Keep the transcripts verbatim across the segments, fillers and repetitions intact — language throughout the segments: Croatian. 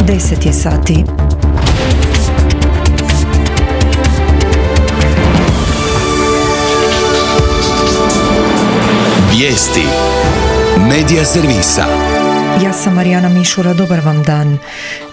deset je sati. Vijesti Medija servisa. Ja sam Marijana Mišura, dobar vam dan.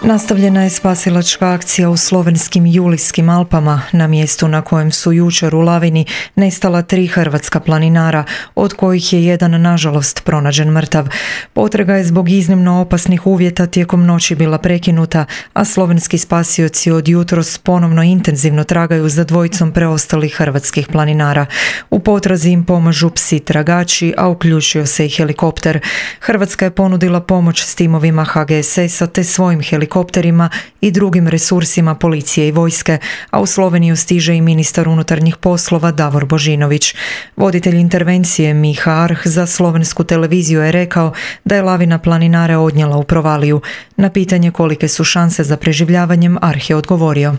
Nastavljena je spasilačka akcija u slovenskim Julijskim Alpama, na mjestu na kojem su jučer u lavini nestala tri hrvatska planinara, od kojih je jedan nažalost pronađen mrtav. Potraga je zbog iznimno opasnih uvjeta tijekom noći bila prekinuta, a slovenski spasioci od jutros ponovno intenzivno tragaju za dvojicom preostalih hrvatskih planinara. U potrazi im pomažu psi tragači, a uključio se i helikopter. Hrvatska je ponudila pomoć s timovima ha ge es es a te svojim helikopterima i drugim resursima policije i vojske, a u Sloveniju stiže i ministar unutarnjih poslova Davor Božinović. Voditelj intervencije Miha Arh za slovensku televiziju je rekao da je lavina planinare odnijela u provaliju. Na pitanje kolike su šanse za preživljavanjem, Arh je odgovorio: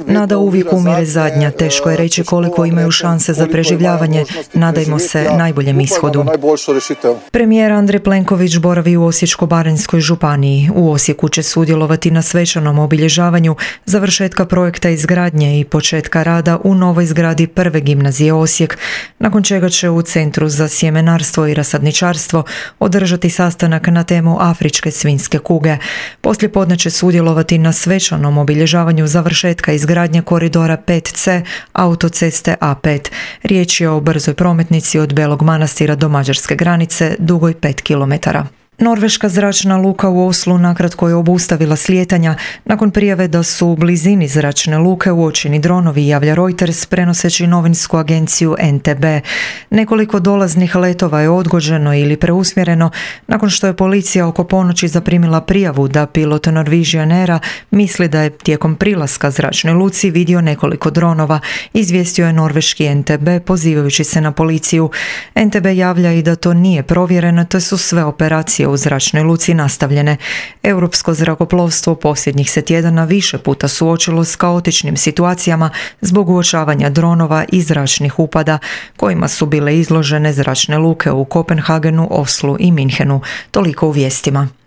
Nada uvijek umire zadnja, teško je reći koliko imaju šanse za preživljavanje, nadajmo se najboljem ishodu. Premijer Andrej Plenković boravi u Osječko-baranjskoj županiji. U Osijeku će sudjelovati na svečanom obilježavanju završetka projekta izgradnje i početka rada u novoj zgradi prve gimnazije Osijek, nakon čega će u Centru za sjemenarstvo i rasadničarstvo održati sastanak na temu afričke svinjske kuge. Poslijepodne će sudjelovati na svečanom obilježavanju završetka izgradnje koridora pet ce autoceste a pet. Riječ je o brzoj prometnici od Belog Manastira do mađarske granice, dugoj pet kilometara. Norveška zračna luka u Oslu nakratko je obustavila slijetanja nakon prijave da su u blizini zračne luke uočeni dronovi, javlja Reuters prenoseći novinsku agenciju en te be. Nekoliko dolaznih letova je odgođeno ili preusmjereno nakon što je policija oko ponoći zaprimila prijavu da pilot Norwegian Aira misli da je tijekom prilaska zračnoj luci vidio nekoliko dronova, izvijestio je norveški en te be pozivajući se na policiju. en te be javlja i da to nije provjereno, te su sve operacije u zračnoj luci nastavljene. Europsko zrakoplovstvo posljednjih se tjedana više puta suočilo s kaotičnim situacijama zbog uočavanja dronova i zračnih upada kojima su bile izložene zračne luke u Kopenhagenu, Oslu i Minhenu. Toliko u vijestima.